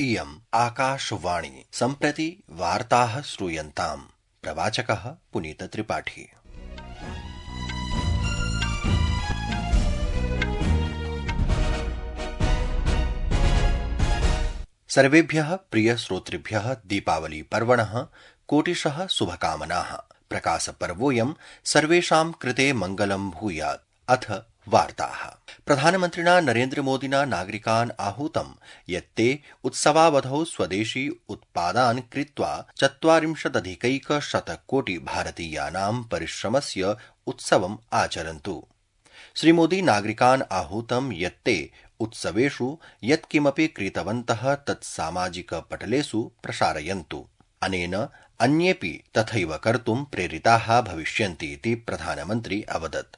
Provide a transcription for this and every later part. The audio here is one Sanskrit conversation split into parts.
इयम् आकाशवाणी सम्प्रति वार्ताः श्रूयन्ताम्। प्रवाचकः पुनीतत्रिपाठी। सर्वेभ्यः प्रियश्रोतृभ्यः दीपावली पर्वणः कोटिशः शुभकामनाः। प्रकाशपर्वोऽयं सर्वेषां कृते मङ्गलं भूयात्। अथ वार्ताः। प्रधानमन्त्रिणा नरेन्द्रमोदिना नागरिकान् आहूतं यत् ते उत्सवावधौ स्वदेशी उत्पादान् क्रीत्वा 40,000 कोटि भारतीयानां परिश्रमस्य उत्सवम् आचरन्तु। श्रीमोदी नागरिकान् आहूतं यत् ते उत्सवेषु यत्किमपि क्रीतवन्तः तत् सामाजिकपटलेषु प्रसारयन्तु। अनेन अन्येऽपि तथैव कर्तुं प्रेरिताः भविष्यन्ति इति प्रधानमन्त्री अवदत्।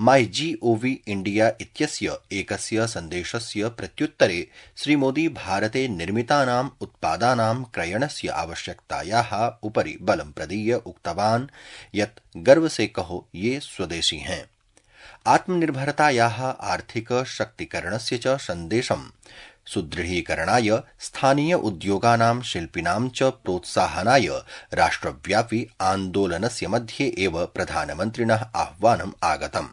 MyGov India इत्यस्य एकस्य सन्देशस्य प्रत्युत्तरे श्रीमोदी भारते निर्मितानाम् उत्पादानां क्रयणस्य आवश्यकतायाः उपरि बलं प्रदीय उक्तवान् यत् गर्व से कहो ये स्वदेशी हैं। आत्मनिर्भरतायाः आर्थिक शक्तिकरणस्य च सन्देशं सुदृढीकरणाय स्थानीय उद्योगानां शिल्पिनां च प्रोत्साहनाय राष्ट्रव्यापी आन्दोलनस्य मध्ये एव प्रधानमन्त्रिणः आह्वानम् आगतम्।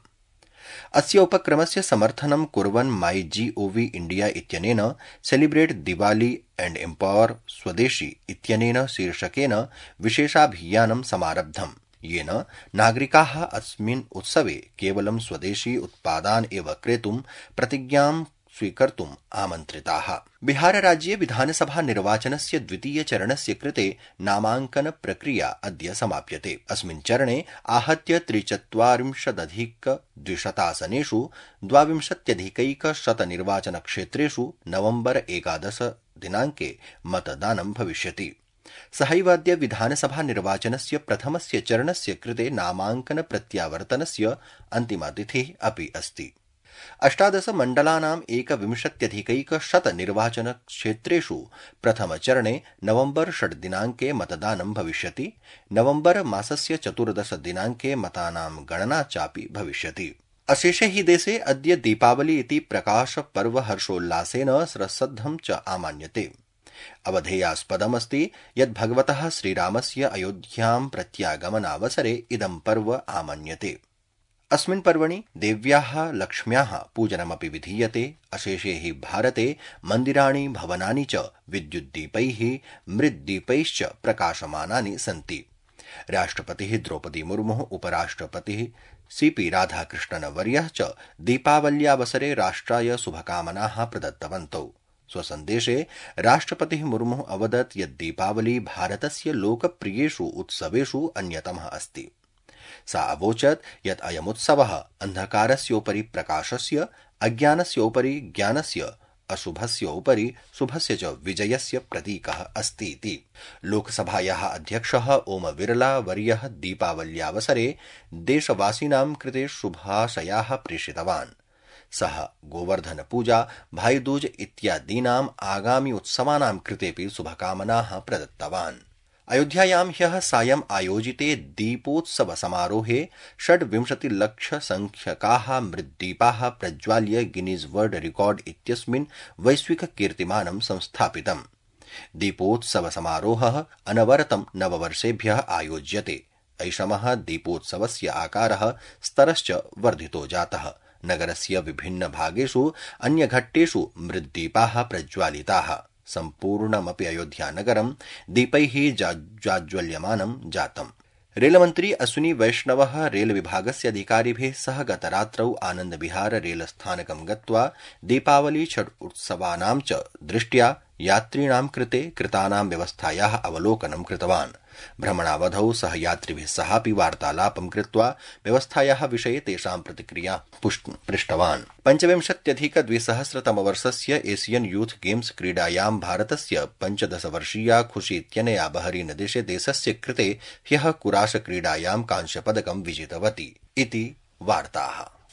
अस्य उपक्रमस्य समर्थनं कुर्वन् MyGov India इत्यनेन सेलिब्रेट दिवाली एंड एम्पावर स्वदेशी इत्यनेन शीर्षकेन विशेषाभियानं समारब्धम्, येन नागरिकाः अस्मिन् उत्सवे केवलं स्वदेशी उत्पादान् एव क्रेतुं प्रतिज्ञां स्वीकर्तुम् आमन्त्रिताः। बिहारराज्ये विधानसभा निर्वाचनस्य द्वितीय चरणस्य कृते नामाङ्कन प्रक्रिया अद्य समाप्यते। अस्मिन् चरणे आहत्य 43,200 आसनेषु 22,100 निर्वाचनक्षेत्रेषु नवम्बर 11 दिनाङ्के मतदानं भविष्यति। सहैव अद्य विधानसभा निर्वाचनस्य प्रथमस्य चरणस्य कृते नामाङ्कन प्रत्यावर्तनस्य अन्तिमा तिथिः अपि अस्ति। 18 मण्डलानां 21,100 निर्वाचनक्षेत्रेषु प्रथमचरणे नवम्बर 6 दिनाङ्के मतदानं भविष्यति। नवम्बर मासस्य 14 दिनाङ्के मतानां गणना चापि भविष्यति। अशेषे हि देशे अद्य दीपावली इति प्रकाशपर्व हर्षोल्लासेन श्रद्धं च आमान्यते। अवधेयास्पदमस्ति यत् भगवतः श्रीरामस्य अयोध्यां प्रत्यागमनावसरे इदं पर्व आमन्यते। अस्मिन् पर्वणि देव्याः लक्ष्म्याः पूजनमपि विधीयते। अशेषे हि भारते मन्दिराणि भवनानि च विद्युद्दीपैः मृद्दीपैश्च प्रकाशमानानि सन्ति। राष्ट्रपतिः द्रौपदी मुर्मुः, उपराष्ट्रपतिः CP राधाकृष्णनवर्यः च दीपावल्यावसरे राष्ट्राय शुभकामनाः प्रदत्तवन्तौ। स्वसन्देशे राष्ट्रपतिः मुर्मुः अवदत् यत् दीपावली भारतस्य लोकप्रियेषु उत्सवेषु अन्यतमः अस्ति। सा अवोचत् यत् अयमुत्सवः अन्धकारस्योपरि प्रकाशस्य, अज्ञानस्योपरि ज्ञानस्य, अशुभस्य उपरि शुभस्य च विजयस्य प्रतीकः अस्ति इति। लोकसभायाः अध्यक्षः ओम बिरला वर्यः दीपावल्यावसरे देशवासिनां कृते शुभाशयाः प्रेषितवान्। सः गोवर्धन पूजा, भाईदूज इत्यादीनाम् आगामि उत्सवानां कृतेऽपि शुभकामनाः प्रदत्तवान्। अयोध्यायां ह्यः सायम् आयोजिते दीपोत्सव समारोहे 26 लक्ष संख्यकाः मृद्दीपाः प्रज्वाल्य गिनीज वर्ल्ड रिकॉर्ड इत्यस्मिन् वैश्विक कीर्तिमानं संस्थापितम्। दीपोत्सव समारोहः अनवरतं नववर्षेभ्यः आयोज्यते। ऐषमः दीपोत्सवस्य आकारः स्तरश्च वर्धितो जातः। नगरस्य विभिन्न भागेषु अन्यघट्टेषु मृद्दीपाः प्रज्वालिताः। सम्पूर्णमपि अयोध्यानगरं दीपैः जाज्वल्यमानं जातम्। रेलमन्त्री अश्विनी वैष्णवः रेलविभागस्य अधिकारिभिः सह गतरात्रौ आनन्दविहार रेलस्थानकं गत्वा दीपावली छठ उत्सवानां च दृष्ट्या यात्रिणां कृते कृतानां व्यवस्थायाः अवलोकनं कृतवान्। भ्रमणावधौ सह यात्रिभिः सहापि वार्तालापं कृत्वा व्यवस्थायाः विषये तेषां प्रतिक्रिया पृष्टवान्। 25,200 एशियन यूथ गेम्स क्रीडायां भारतस्य 15 वर्षीया खुशी इत्यनया बहरीन देशस्य कृते ह्यः कुराश क्रीडायां कांस्यपदकं विजितवती इति वार्ताः।